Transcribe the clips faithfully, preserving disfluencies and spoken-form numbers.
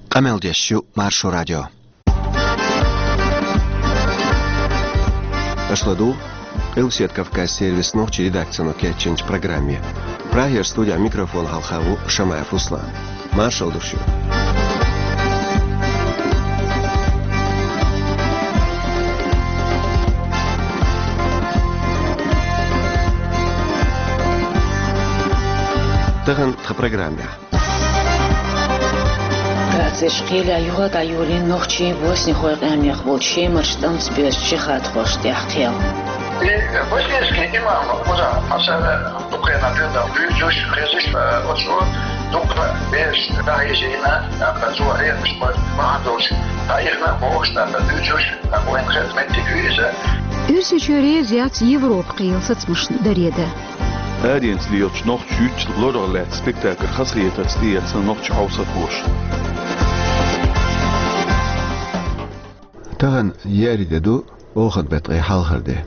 Къамел деш ю Маршо радио. Аша ладугӀу Къилбаседа Кавказ сервисан нохчийн редакцино кечйинчу программе. Прагера студехь микрофон хьалха ву Шамаев Руслан. Маршалла ду шуьга. Тахана тхан программехь. Грацерчу кхелехь юха а дӀайолийна нохчийн, боснихойн къаьмнех болчу шемарчу тӀамца боьрзучу жихӀадхошна тӀехь кхел. И боснийский имам, уже, масала, Украина дуьйна буьйцуш, хезаш, оцу дукха бераш дӀахьийзийна, тӀаккха цо хьехамаш бан бахьана долуш, дӀаихна бохуш, тӀаккха буьйцуш, тӀаккха вайна хезна меттиг ю иза. Оьрсийчоь реза яц Европа кхелан сацамашна даре дан. Аренца лелачу нохчийн юьртан лорах лаьцна спектакль хазахетарца тӀеэцна нохчийн хьовсархоша. Тахана еарин де ду, оханан беттан ткъе хьалхара де.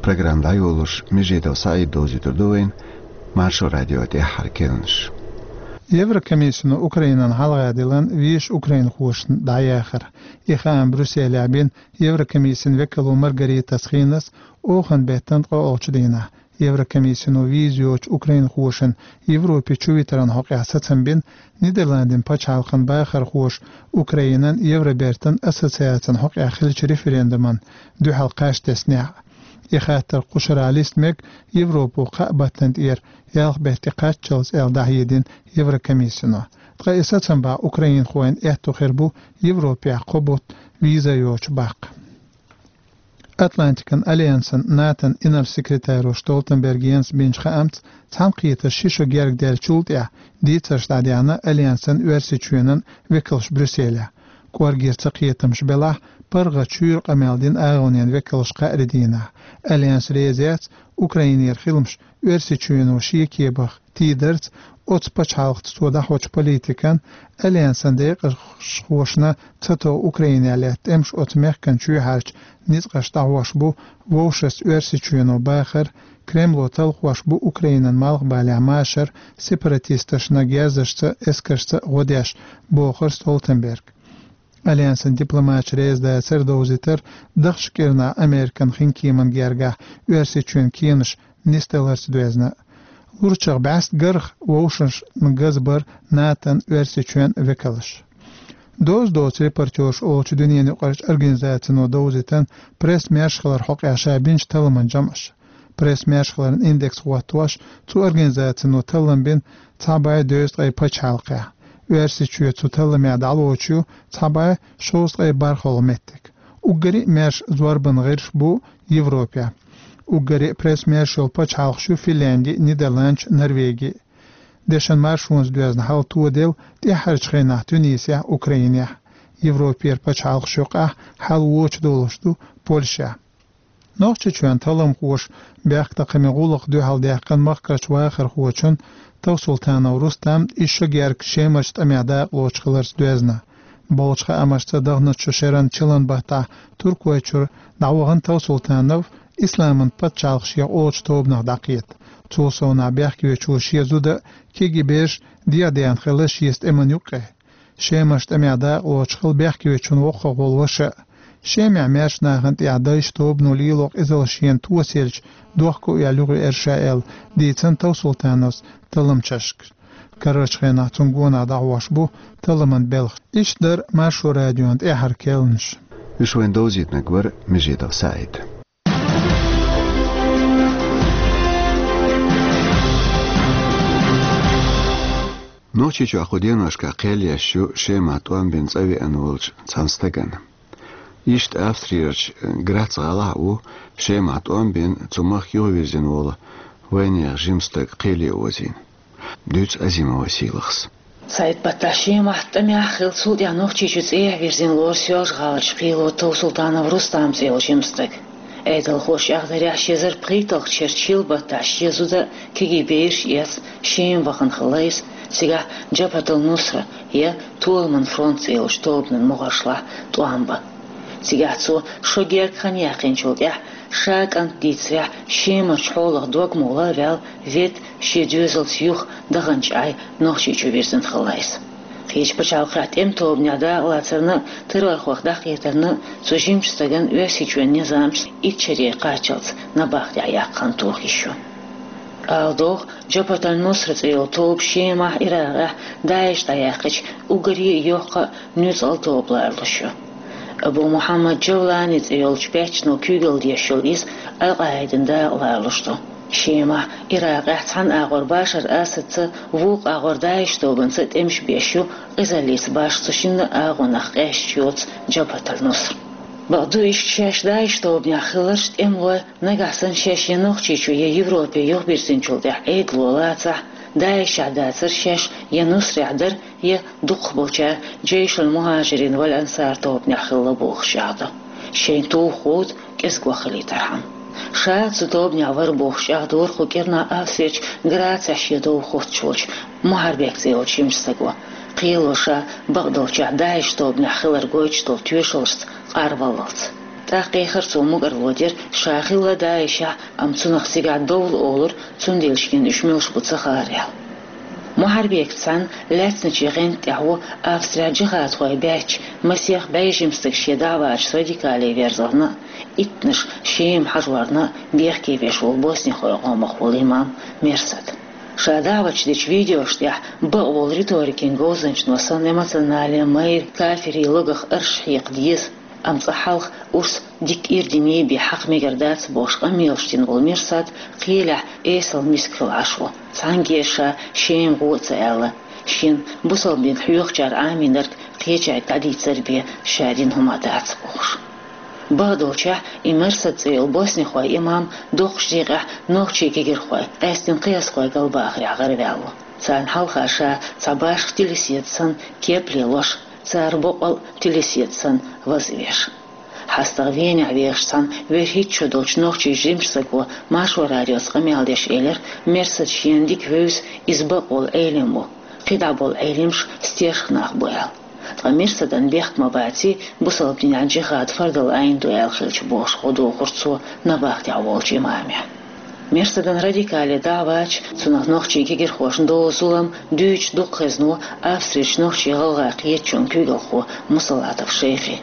Программа дӀайолош Межидов СаӀид довзуьйтур ду вайна Маршо радион тӀаьххьара керланаш. Еврокомиссино Украинан хьалха диллина везачу украинхошна дӀаяхар. И хаам Брюсселехь бина Еврокомиссин векало Маргаритас Хинас оханан беттан ткъе олучу дийнахь. Еврокомиссино виза йоцучу украинхошна Европе чувитаран хьокъехь сацам бина Нидерландийн пачхьалкхан бахархоша Украинан Евробертан ассоциацин хьокъехь хиллачу референдумна дуьхьал кхаж теснехь. И хаттар кхушара листа мега Европо кхаа баттана тӀера ялх беттан кхаччалц аьлла дӀахьедина Еврокомиссино. Ткъа и сацам бан украинхойн аьтто хир бу Европехь кхо бутт виза йоцуш баккха. Атлантикан альянсан НАТОн инарла секретаро Столтенберг Йенса бинчу хаамца, цхьаьнакхетарш ши шо герга даьллачул тӀаьхьа дийцарш дӀадаьхьна альянсан Оьрсийчоьнан векалш Брюсселехь. КӀоргера цакхетамаш белахь, паргӀат шуьйра къамел дина агӀонийн векалш кхаарин дийнахь. Альянс реза яц Украинера хиламаш Оьрсийчоьно шен кепах тийдарца, оцу пачхьалкхаца цо дӀахьочу политикан, альянсан декъашхошна ца тов Украинехь лаьтта тӀемаш оцу мехкан чоьхьарчу ницкъаша дӀахьош бу вовшашца Оьрсийчоьно бахар, Кремло талхош бу Украинан малхбалехь машар сепаратисташна герзашца, эскаршца гӀо деш, бохура Столтенберга. Альянсан дипломаташ реза дацар довзийтар дахча кӀирнахь Американ хинкеман гергахь Оьрсийчоьнан кенаш нисдаларца доьзна. Лурчех бӀаьста гарх вовшашна газбар НАТОн Оьрсийчоьнан векалш. Доза доцу репортерш олучу дуьненаюкъарчу организацино довзийтина пресс-маьршахаллар хьокъехь ша бинчу талламан жамӀаш. Пресс-маьршахалларан индекс хӀоттош, цу организацино таллам бина цхьа бӀе дезткъе пачхьалкхехь. Оьрсийчоь цу талламехь дӀалоцуш ю цхьа бӀе шовзткъе бархӀалгӀа меттиг. Уггаре а маьрша зорбанан гӀирсаш бу Европехь. Уггаре а пресс-маьрша йолу пачхьалкхаш ю Финлянди, Нидерландаш, Норвеги. Дешан маршонца доьзна хьал тоделла тӀаьххьарчу хенахь Тунисехь, Украинехь. Европера пачхьалкхаш юкъахь хьал вочу долуш ду Польшехь. Нохчийчоьнан талламхоша бехктакхаман гӀуллакх дуьхьал даьккхина махкарчу вахархочун Товсултанов Рустаман исс шо герга Шемарчу тӀамехь дакъалоцуш хиларца доьзна. Болчу хаамашца, даханчу шеран чиллан баттахь Туркойчуьра дӀавахана Товсултанов Исламан пачхьалкх шех олучу тобанах дӀакхета. Цул совнах бехкевечо шен зуда а, кегий бераш а дегӀадаьхна хилла шеца тӀеман юккъе. Шемарчу тӀамехь дакъалоцуш хилла бехкевечун воккхагӀволу ваша а. Шемехь маьрша нахана тӀехь дайша тобано лело къизалла шена тосаелча, дохко а яьлла юхаерш а аьлла, дийцина Товсултановс талламчашка. Карарчу хенахь цунна гонах дӀахьош бу талламан белхаш. Иштта дара Маршо радион тӀаьххьара керланаш. Уьш вайна довзийтинарг вара Межидов СаӀид. Нохчийчохь кху деношкахь кхел еш ю Шемахь тӀом бина цӀа веана волчу цхьана стагана. Иштта Австриярчу Грац гӀалахь а ву Шемахь тӀом бина, цу махка юхавирзина волу вайнехан жима стаг кхеле озийна. Дуьйцу Азимова Сийлахьас. Сайд-паччахьан Шемахь тӀамехь хилла, цул тӀаьхьа Нохчийчу цӀехьа вирзина лору Соьлжа-ГӀаларчу кхело Товсултанов Рустам цӀе йолу жима стаг. Ӏедалхоша чӀагӀдарехь, ши эзар пхийтталгӀачу шеран чиллан баттахь шен зуда а, кегий бераш а эцна, Шема вахана хилла иза, цигахь Джабхьат ал-Нусра я Толаман фронт цӀе йолчу тобанан могӀаршлахь тӀом бан. Цигахь цо шо герга хан яьккхинчул тӀаьхьа, ша кӀант дийцарехь, Шемарчу хьолах дог ма гӀолла а ваьлла, ведда, шен доьзалца юха даханчу Ӏай Нохчийчу вирзина хилла иза. Кхечу пачхьалкхехь тӀеман тобанехь дакъалацарна а, террорхойх дӀакхетарна а цу жимачу стагана Оьрсийчоьнан низамаш итт шаре кхаччалц набахтехь яккха хан тоха йиш ю. Ала догӀу, Джабхат аль-Нусра цӀе йолу тоба Шемахь, Иракъехь ДАИШ дӀаяьккхича уггаре а йоккха а, нуьцкъала а тоба лоруш ю. Абу Мухьаммад Джавлани цӀе йолчу баьччано куьйгалла деш йолу иза Аль-Къаидина дакъа лоруш ду. Шемахь, Иракъехь цхьана агӀор Башар Асадца, вукху агӀор ДАИШ тобанца тӀемаш беш ю, къизаллица башха цу шинна а агӀонах къаьсташ йоцу Джабхат аль-Нусра. Бакъду, иштта шаьш ДАИШ тобанехь хилларш тӀемалой, нагахь санна шаьш я Нохчийчу, я Европе юхабирзинчул тӀаьхьа Ӏедало лацахь, ДАИШехь дацара шаьш, я Нусрехь дара, я дукхахболчара Джейшул-Мухьажирин валь-Ансар тобанехь хилла бохуш чӀагӀдо. Шайн туха гӀуда кӀезиг ваха хилийтархьама. Ша цу тобанехь вара бохуш чӀагӀдора кху кӀирнахь Австрерчу Грацехь шен дов хоттуш волчу Мухьарбек цӀе йолчу жимачу стаго. Кхело ша бакъдолчохь ДАИШ тобанехь хилар гойтуш долу тоьшаллашца къарваллалц. ТӀаккха кхехара цо мукӀарло дира, ша хилла ДАИШехь, амма цунах цигахь довла олура, цундела шена уьш муьлш бу ца хаара аьлла. Мухьарбекца цхьаьна лаьцначийн гӀанта тӀехь ву Австрехь джихадхой баьчча, масех бӀе жима стаг шен дӀа а вача радикале верзарна а, иттанаш Шема хьажорна а бехке веш волу боснихой къомах волу имам Мерсад. Ша даӀваташ дечу видеошна тӀехь бакъволу риторикин говзанчано санна эмоционале майра кафирийн логах арш хьекха деза, амма цкъа хьалха урс дикка ирдине бен хьакха мегар дац бохуш къамелаш дина волу Мерсад кхелехь эсала миска хилла Ӏаш ву. Цхьаьнгге ша Шема гӀо а ца аьлла, шена бусалба дин хьоьхучара Ӏамийнарг кхечаьрга дӀадийцар бен ша дина хӀума дац бохуш. Бакъдолчехь, и Мерсад цӀе йолу боснихой имам доккхачу декъехь нохчийн кегирхой, къаьсттина кхиазхой галбахарехь гӀараваьлла ву. Царна хьалха ша цхьа башха телеседа санна кеп лелош, цара боккъал а телеседа санна ваза веш. ХьастагӀа Венехь вехаш цхьана вуьрхӀитта шо долчу нохчийн жимачу стаго Маршо радиоца къамел деш элира, Мерсад шена дика вевза, иза бакъволу Ӏелим ву, кхидӀа болу Ӏелимаш стешха нах бу аьлла. Ткъа Мерсадан бехк ма баций, бусалба динехь джихад фардал Ӏайн ду аьлла хилча бохуш гӀо дохура цо набахтехь волчу имаме. Мерсадан радикале дӀа а вача, цунах нохчийн кегирхошна долу зулам дуьйцуш дукха хезна ву Австрерчу нохчийн-гӀалгӀайн кхетачун куьйгалхо Мусалатов Шайхи.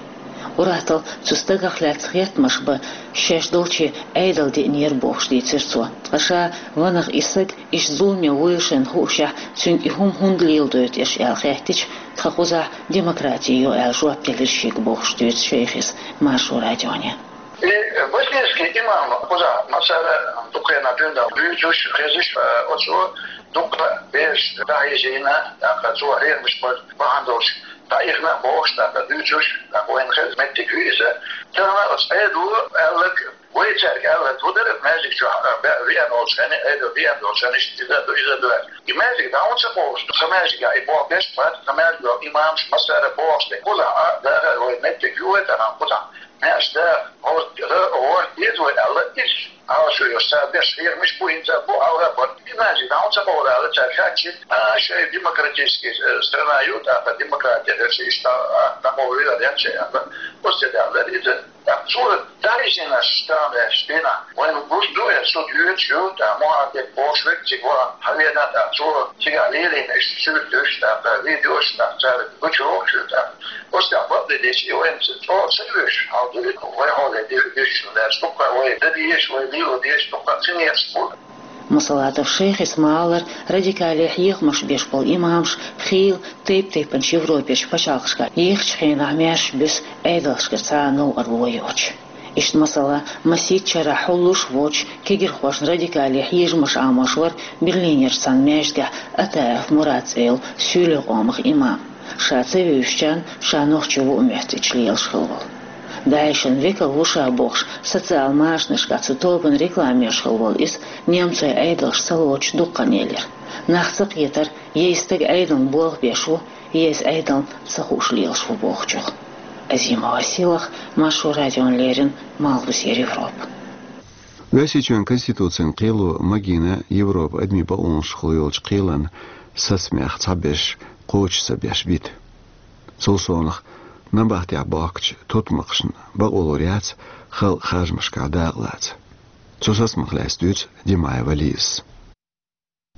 Ур-атталла цу стагах лаьцна хеттамаш бан шаьш долчу Ӏедал деънера бохуш дийцира цо. Ткъа ша ванах и стаг иштта зуламе вуйла шайна хуушехь, цуьнга и хӀума хӀунда леладойту аша аьлла хаьттича, тхан кхузахь демократи йо аьлла жоп делира шега бохуш дуьйцу Шайхис Маршо радионе. И боснийский имам кхузахь массара дукха хенахь дуьйна дуьйцуш, хезаш, оцо дукха бераш дӀахьежийна, тӀаккха цо хьехамаш бан бахьана долуш дӀаихна а бохуш, тӀаккха дуьйцуш, тӀаккха вайна хеза меттиг ю иза. Тахана оцу Ӏедало аьлларг, вай цаьрга аьлларг хӀун дара, маьждиг чохь, а, бе-, веана волчу хенахь, Ӏедал веана долчу хенахь иштта иза а ду, иза а ду аьлла. И маьждиг дӀа хӀунда ца кховдуш ду? Сан маьждигехь и болх беш бац, сан маьждиган имамаш массара бохуш ду. Кхузахь а дахар вай меттиг ю вай тахана кхузахь. Маьрша даха, хӀорд-, хӀорд деза вай аьлла, иза Ӏалашо йолуш цара деш хьехамаш бу, хӀинца а бу, хьалха а бара. И маьждиг дӀа хӀунда ца кховда аьлла, цаьрга хаьттича, а, шайн демократический, э, страна ю, тӀаккха демократи хилча, иштта, а, дӀакховдийла аьлла, шайн аьлла. Оцу тӀе даьлла дара иза. ТӀаккха цо дӀахьежийнарш, тахана аьлча дийнахь, вайна гуш ду, э, суд йоьдуш ю, тӀаккха Мухьарбек бохуш верг цига вахана хьавеана, тӀаккха цо цигахь лелийна иштта суьрташ, тӀаккха видеош, тӀаккха цара гучуйохуш ю, тӀаккха. Оцу тӀехь бакъдерг дийцича, и вайна цӀа ца вуьйш, хьал ду иза, вай хьоле деш, деш шу лаьцна, дуккха вай дан дезаш, вай лело дезаш, дуккха ца некъаш бу. Мусалатов Шайхис ма-аллара, радикале хьехамаш беш болу имамаш хийла тайп-тайпанчу Европерчу пачхьалкхашкахь ехачу хенахь маьрша буьсу Ӏедалшкара цхьа а новкъарло йоцуш. Иштта, масала, масийтта шарахь хьуллуш а воцуш, кегирхошна радикале хьежамаш Ӏамош вара Берлинерчу цхьана маьждигехь Атаев Мурад цӀе йолу суьйлийн къомах имам. Ша ца вевзачарна ша нохчи ву а моьттича лелаш хилла волу. ДАИШан векал ву ша бохуш, социал машанашкахь цу тобанан реклама еш хилла волу иза немцойн Ӏедалша ца лоцуш дукха хан елира. Нах ца кхетара, я и стаг Ӏедална болх беш ву, я иза Ӏедална ца хууш лелаш ву бохучух. Азимова Силах, Маршо радиона леррина, Малхбузера Европа. Оьрсийчоьнан Конституцин кхело магийна Европан адамийн бакъонашкахула йолчу кхелан сацамех цхьаберш кхочуш ца беш бита. Цул совнаха, набахтехь бохкучу тутмакхашна бакъвалур яц халкъан харжамашкахь дакъалаца. Цу сацамах лаьцна дуьйцу Димаева Лизас.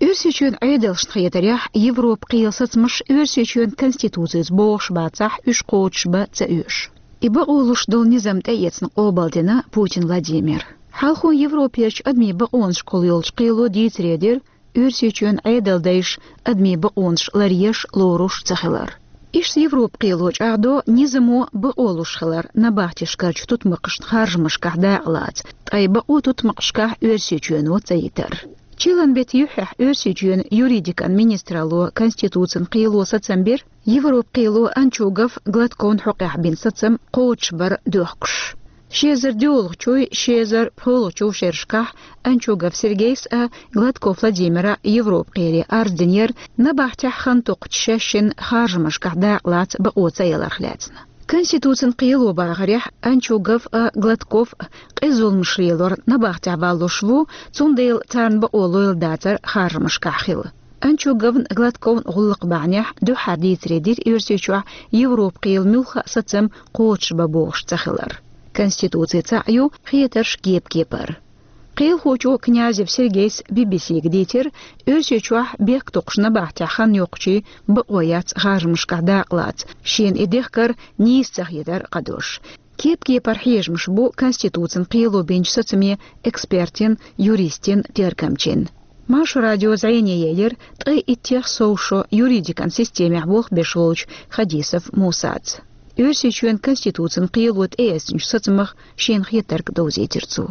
Оьрсийчоьнан Ӏедалшна хетарехь, Европан кхелан сацамаш Оьрсийчоьнан Конституцица богӀуш бацахь, уьш кхочушбан ца оьшу. И бакъо луш долу низам тӀеэцна къобалдина Путин Владимира. Хьалхо Европерчу адамийн бакъонашкахула йолчу кхело дийцаре дира Оьрсийчоьнан Ӏедалдайша адамийн бакъонаш ларъеш, лоруш цахилар. Иштта Европан кхело чӀагӀдо низамо бакъо луш хилар набахтешкарчу тутмакхашна харжамашкахь дакъалаца, ткъа и бакъо тутмакхашкахь Оьрсийчоьно ца йитар. Чиллан беттан юьххьехь Оьрсийчоьнан юридикан министралло Конституцин кхело сацам бира, Европан кхело Анчугов, Гладковн хьокъехь бина сацам кхочушбар дохкуш. Ши эзар доьалгӀачуй, ши эзар пхоьалгӀачуй шерашкахь Анчугов Сергейс а, Гладков Владимира а Европан кхеле арз динера, набахтехь хан токхучу шаьшшинна харжамашкахь дакъалаца бакъо ца яларх лаьцна. Конституцин кхело бахарехь, Анчугов а, Гладков а къиза зуламаш лелор набахтехь валлуш ву, цундела царна бакъо лойла дацара харжамашкахь хила. Анчуговн, Гладковн гӀуллакх бахьанехь дуьххьара дийцаре дира Оьрсийчохь Европан кхелан муьлхха а сацам кхочушбан богӀуш ца хилар. Конституци цхьаъ ю, хетарш кеп-кепара. Кхелахочо Князев Сергейс Би-Би-Сига дийцира, Оьрсийчохь бехктокхуш набахтехь хан йоккхучийн бакъо яц харжамашкахь дакъалаца, шена и дехкар нийса ца хетар кхадош. Кеп-кепара хьежамаш бу Конституцин кхело бинчу сацаме экспертийн, юристийн, тергамчин. Маршо радио зӀене елира ткъе иттех сов шо юридикан системехь болх беш волчу Хадисов Мусаца. Оьрсийчоьнан Конституцин кхело тӀеэцначу сацамах шена хетарг довзийтира цо.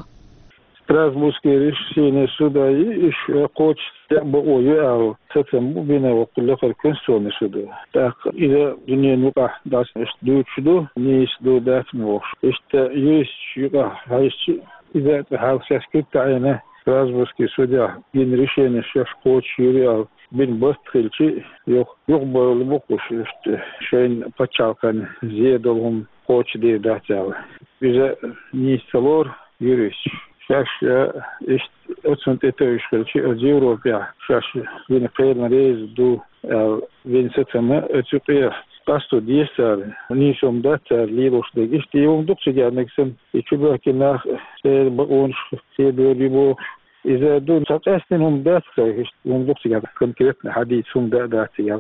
Страсбургский решение суда и иш кхочуш декъа бакъо ю аьлла сацам бу бина воккхул лакхара Конституционный судо. ТӀаккха иза дуьненан юкъахь дӀасаэцна дуьйцуш ду, нийса ду, дац ма бохуш. Иштта юристаш юкъахь хьаьжча, иза а цкъа хьалха шаьш куьг таӀийна, Страсбургский судехь гина решение шаьш кхочуш юри аьлла бина барт хилча, юха юхабевлла бу кхуш, иштта шайна пачхьалкхан зе долу хӀума кхочушдийр дац аьлла. Иза нийса ца лору юристаш. Шаьш, а, иштта оцунна тӀетевжаш хилча, оцу Европехь шаьш вина кхелан реза ду аьлла, вина сацам оцу юкъехь къасто деза цара, нийса хӀума дац цара лелош дерг. Иштта и хӀума дукха цига мега санна, и чубоьхкина нах церан бакъонаш кхебевлла ю бохуш. Иза ду, цхьа къаьстина хӀума дац, иштта хӀума дукха цига конкретно хьадийца хӀума да а дац цига.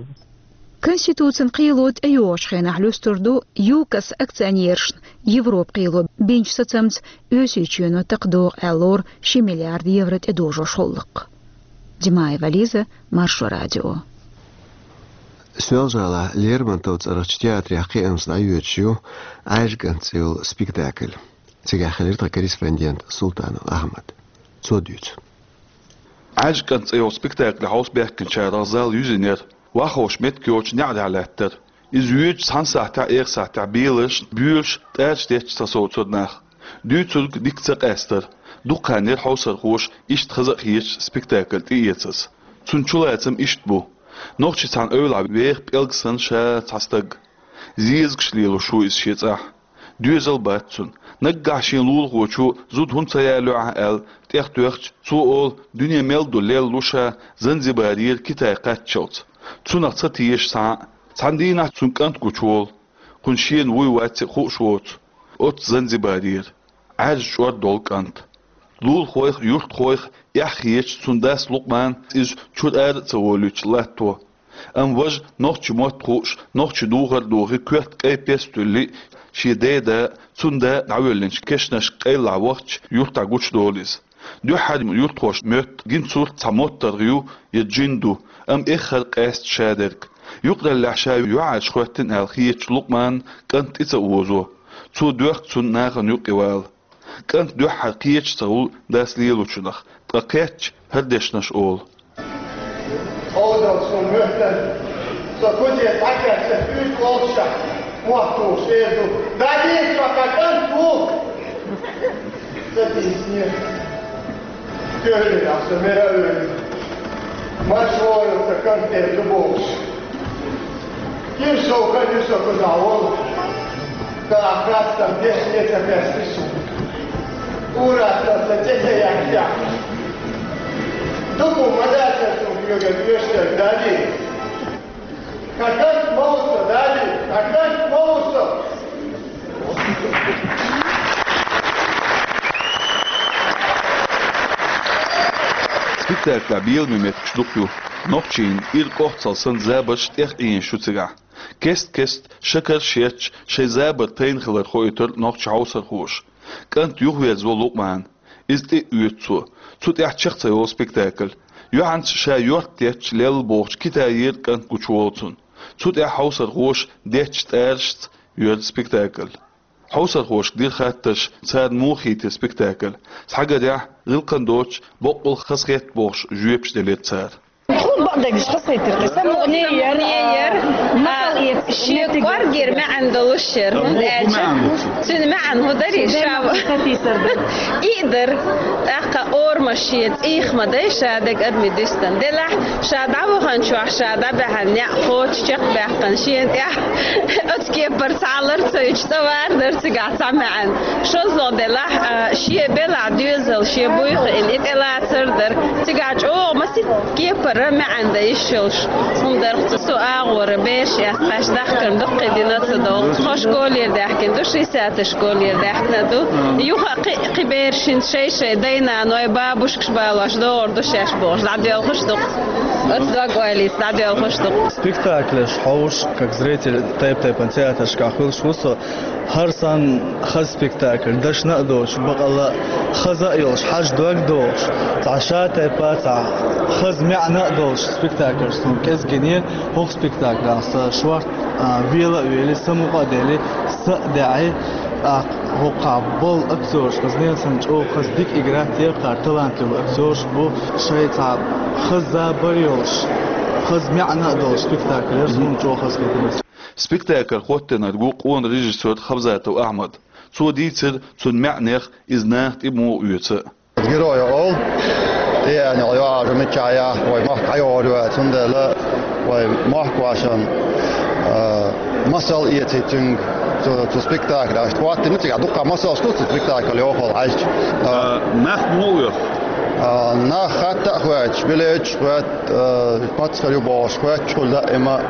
Конституцин кхело тӀейогӀучу хенахь луьстур ду ЮКОС акционерашна Европан кхело бинчу сацамца Оьрсийчоьно такха догӀу аьлла лору ши миллиард евро тӀедожош гӀуллакх. Димаева Лиза, Маршо радио. Соьлжа-ГӀалахь Лермонтов цӀарахчу театрехь кхиамца дӀайоьдуш ю «Ӏаьржа кӀант» цӀе йолу спектакль. Цигахь хилира тхан корреспондент Султанов Ахьмад. Цо дуьйцу. «Ӏаьржа кӀант» цӀе йолу спектакль хьовсабаьхкинчарах зал юьзинера, ваххоша меттиг йоцчу неӀарехь лаьттара. Иза йоьдучу цхьана сахьтехь, эха сахьтехь беларшна, боьлуш, тӀарча детташ сацовцура нах. Дуьйцург дика ца къаьстара. Дукха хан яра хьовсархоша иштта хаза а хеташ спектакль тӀеэцаза. Цуьнан чулацам иштта бу. Нохчийн цхьана эвлахь веха пӀелг санна ша цхьа стаг. Зезагаш лелош ву иза шен цӀахь. Доьзал бац цуьнан. Наггахь шен лулахочо зуда хӀунда ца ялайо ахь аьлла, тӀехтоьхча, цо олу, дуьне мел ду лелла лу ша, Занзибарера Китай кхаччалц. Цунах ца теша цхьа а. Цхьана дийнахь цуьнан кӀант гучуволу. Кхунна шена вуй вац а хууш воцу. Оццу Занзибарера. Ӏаьржа чӀор долу кӀант. Лулахойх а, юьртахойх а эхь хеташ цуьнан дас Лукъман иза чуьра ара а ца волуьйтуш латто. Амма важа нохчийн мотт хууш, нохчийн духар а дохий, коьрта кӀайн пес а туьллий, шен ден да а, цуьнан да а дӀавоьллинчу кешнашка къайлахь вахча, юьртахь гучудолу иза. Дуьххьара юьртахоша моьтту гина сурт цхьа моттаргӀа ю я джин ду, амма эххар къаьста шадерг. Юкъараллехь ша юьхьӀаьржа хӀоьттина аьлла хетачу Лукъманна кӀант тӀе ца озо. Цо доьхку цунна нахана юкъе вала. КӀант дуьххьара кхеташ ца хуьлу дас лелочунах, ткъа кхетча, хӀара дешнаш олу. Олдал сон моьттан, со куьне дӀакхаьчча, уьйтӀа олуша, мохь тухуш эр ду: «Дадийца, со кху кӀант ву!» Ца дийцинера. Куьйгаллехь со мера а вевлла, марш вогӀийла, сан кӀант тӀера ду бохуш. Кхин сов хан ю со кхузахь волу, тӀаккха хастам деш а ца хестира суна. Ураста сан цӀе тӀе яьхча, дукха ма дац аса цунна куьйган оьшург, Дадий. Кху кӀант ма ву со, Дадий, кху кӀант ма ву со. Спектаклехь беламе меттигаш дукха ю. Нохчийн ира кӀохцал санна забарш тӀех Ӏийна шу цигахь. Кест-кеста шакарш етташ шайн забар тайна хилар хоуьйтура нохчийн хьовсархоша. КӀант юхаверзаву Лукъман. Иза тӀе а оьцу цо. Цу тӀехь чекх ца йолу спектакль. Юьхьанца ша йорт етташ лелла бохучу Китайера кӀант гучуволу цунна. Цу тӀехь хьовсархоша деттачу тӀарашца йоьрзу спектакль. Хьовсархошка дира хаттарш, царна муха хийтира спектакль. Цхьагарехь, гӀиллакхан доцуш, боккъал хазахетта бохуш жоьпаш делира цара. ХӀун бакъдерг хазахетира? Самукъане яра, яра. А, шен кӀоргера маьӀна долуш яра, хӀунда аьлча цуьнан маьӀна хӀун дарий ша? И а дара. ТӀаккха орамаш шен цӀийх ма дай, ша дерг адамийн дуьстина. Делахь, ша дӀаваханчохь, ша дӀабаьхьна неӀ кхочуш чекхбаьккхина шена тӀехь. Оцу кепара цхьа лар ца йича, цӀа вар дара цигахь цхьа маьӀна. ШозлагӀа делахь, а, шен белахь доьзал, шен буй хиъна, и тӀелацар дара. Цигахь чӀогӀа масийтта кепара маьӀна дан йиш йолуш хӀума дара. Цу агӀора бераш эцна кхаьчна дахкарна дуккхий дина ца догӀу. Тхо школера даьхкина ду, шестьдесятый школера даьхкина ду. Юха а кхин, кхин бераш хӀинца шай-шай дай-наной, бабушкаш балош догӀур ду шаьш бохуш, дӀадоьлхуш ду-кх. Оцу дог-ойлица дӀадоьлхуш ду-кх. Спектаклаш хьовш, как зритель, тайп-тайпана театрашкахь хуьлуш ву со. ХӀара санна хаза спектакль, дашна а доцуш, бакъалла а хаза а йолуш, хьажа дог а дохуш, цхьа ша-тайпа, цхьа хаза маьӀна а долуш спектакльш суна кӀезиг гинера. ХӀокху спектаклехь сан шорта, а, вела а велий, самукъа а делий, са а даьӀий, тӀаккха хӀокхахь болу актёрш, хаза ненсан чӀогӀа хаза дика игра а тера, талантливый актёрш бу, шайн цхьа хаза забар а йолуш, хаза маьӀна а долуш спектакль яра, суна чӀогӀа хазахетира. Спектакль хӀоттийнарг ву къона режиссёр Хабзатов Ахьмад. Цо дийцира цуьнан маьӀнех, иза наха тӀе муха оьцу. Герой олу, тӀеэцна йоӀ а миччахь яхь, вай махка хьайогӀур ю аьлла, цундела вай махкахошна, а, масал эций цуьнга цу, цу спектаклехь. ХӀоттийна цигахь дуккха масалш ду цу спектакль йохалла хьаьжча. А, нах муха оьху? А, нах хатта а хоьттуш, билеташ а хоьттуш, а, пацхьа ю бохуш хоьттуш хуьлу, даима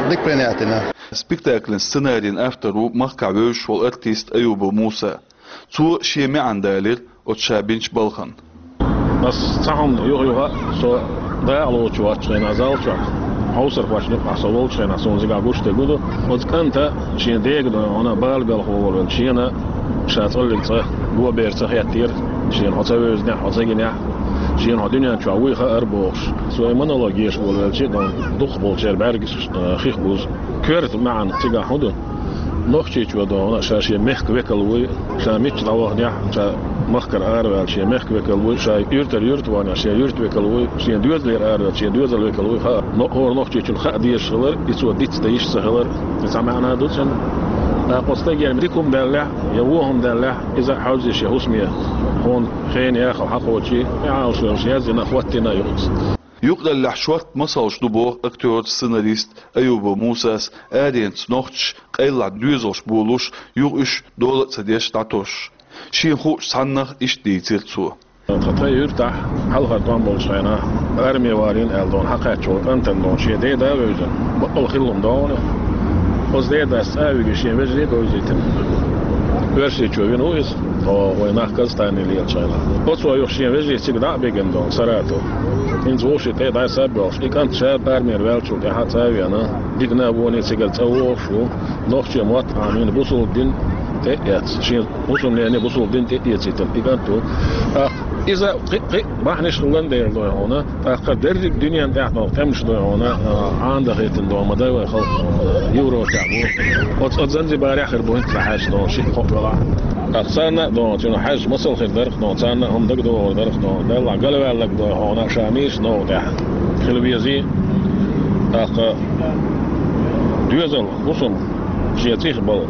дика принять дина. Спектакльн сценарийн автор ву махкахь вевзаш волу артист Аюбов Муса. Цо шен маьӀна далийра оцу ша бинчу балхана. Ас цхьа хӀума юха-юха, со дакъа лоцуш вац хенахь зал чохь, хьовсархошна юкъахь со волчу хенахь, суна зигахь гуш дерг ду. Оцу кӀанта шен дега дойгӀана бала белхо волавелла шена ша цӀаллиг цӀа го бер ца хеттера, шена хьо ца вевзинехь, хьо ца гинехь, шена хьо дуьнен чохь вуй хаьара бохуш. Со и монолог еш волавелча, дукхахболчеран бӀаьргаш, э, хих бузу. Коьрта маьӀна цигахь хӀун ду? Нохчийчо догӀу, ша шен мехкан векал вуй, ша мичча дӀаваханехь, ша махкара араваьлла шен мехкан векал вуй, ша юьртара юьрта ваханехь, шен юьрта векал вуй, шен доьзалера араваьлла шен доьзал векал вуй, хаа, но хӀора нохчийчунна хаа дезаш хилар, и цо дицдан йиш ца хилар, и цхьа маьӀна ду цуьнан. ТӀаккха оцу стагера дика хӀума даьллехь, я вон хӀума даьллехь, иза а хьовзийша шен хӀусаме, хьуна хенан яхалла хьакхочий, и Ӏалашвеллачу яздина а, хӀоттийна а ю иза. Юкъараллехь шортта масалш ду боху актёрас, сценаристас Аюбов Мусас, аренца нохчаша къайлаха доьзалш болуш, юха уьш дола а ца деш дӀатосуш. Шена хуучу цхьаннах иштта дийцира цо. Тхан юьртахь хьалхара тӀом болчу хенахь, арме валийна аьлла догӀу, хьакхаьчча волу кӀантана догӀу, шен деда а вевзина, бакъалла хилла хӀума догӀу. Оцу дедас цӀа а вигина, шен вежарий а говзийтина. Оьрсийчо вина ву иза, тхо вай нах Казахстане лелачу хенахь. Оцо юха шен вежарий цига дӀа а бигина догӀу, Саратов. ХӀинца вовшийн тӀе дӀа а саббоьлхуш, и кӀант ша армера ваьллачул тӀаьхьа цӀа а веана, диканавоне цигара цӀа вогӀуш ву, нохчийн мотт Ӏамийна, бусалба дин тӀе а эцна, шен хӀусамнене бусалба дин тӀе а эцийтина и кӀант ву. ТӀаккха иза кхин, кхин бахьанаш хилла дера дой хьуна, тӀаккха дерриг дуьненна тӀехь долу тӀемаш дой хьуна, а, Ӏанадахийтина догӀу ма дай вай халкъ, Европехь бу. Оцу, оцу Занзибарехь хир бу хӀинца хьаьжча догӀу, шиъ-кхоъ велахь. ТӀаккха царна а догӀу, цуьнан хьаьжча масал хир дара-кх догӀу, царна а хӀума дагадогӀур дара-кх догӀу, Далла, галваьлларг дой хьуна, ша нийса новкъа тӀехь хила везий. ТӀаккха доьзал, хӀусам шен цӀих бала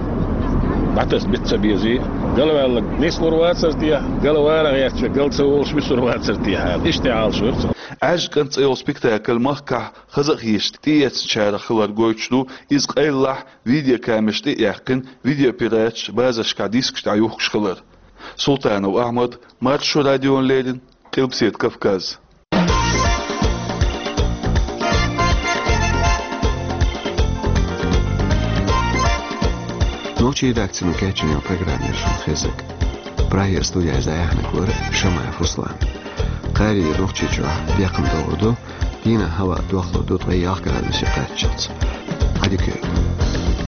дӀатаса бита ца безий, галваьлларг нислур вацара те, галвала гӀерташ верг гал ца волуш висур вацара те аьлла, иштта Ӏалашвира цо. «Ӏаьржа кӀант» цӀе йолу спектакль махкахь хаза а хеташ тӀеэцначарах хилар гойтуш ду, иза къайлаха видеокамераш тӀе а яьккхина, видеопираташ базаршкахь дискаш тӀехь юхкуш хилар. Султанов Ахьмад, Маршо радиона леррина, Къилбаседа Кавказ. Нохчийн редакцино кечйина программа яра шуна хезнарг. Прагера студехь дӀаяьхьнарг вара Шамаев Руслан. Кхаьрий Нохчийчохь бекхам догӀур ду, дийнахь хӀаваъ дохлур ду ткъе ялх градусе кхаччалц. Ӏадика.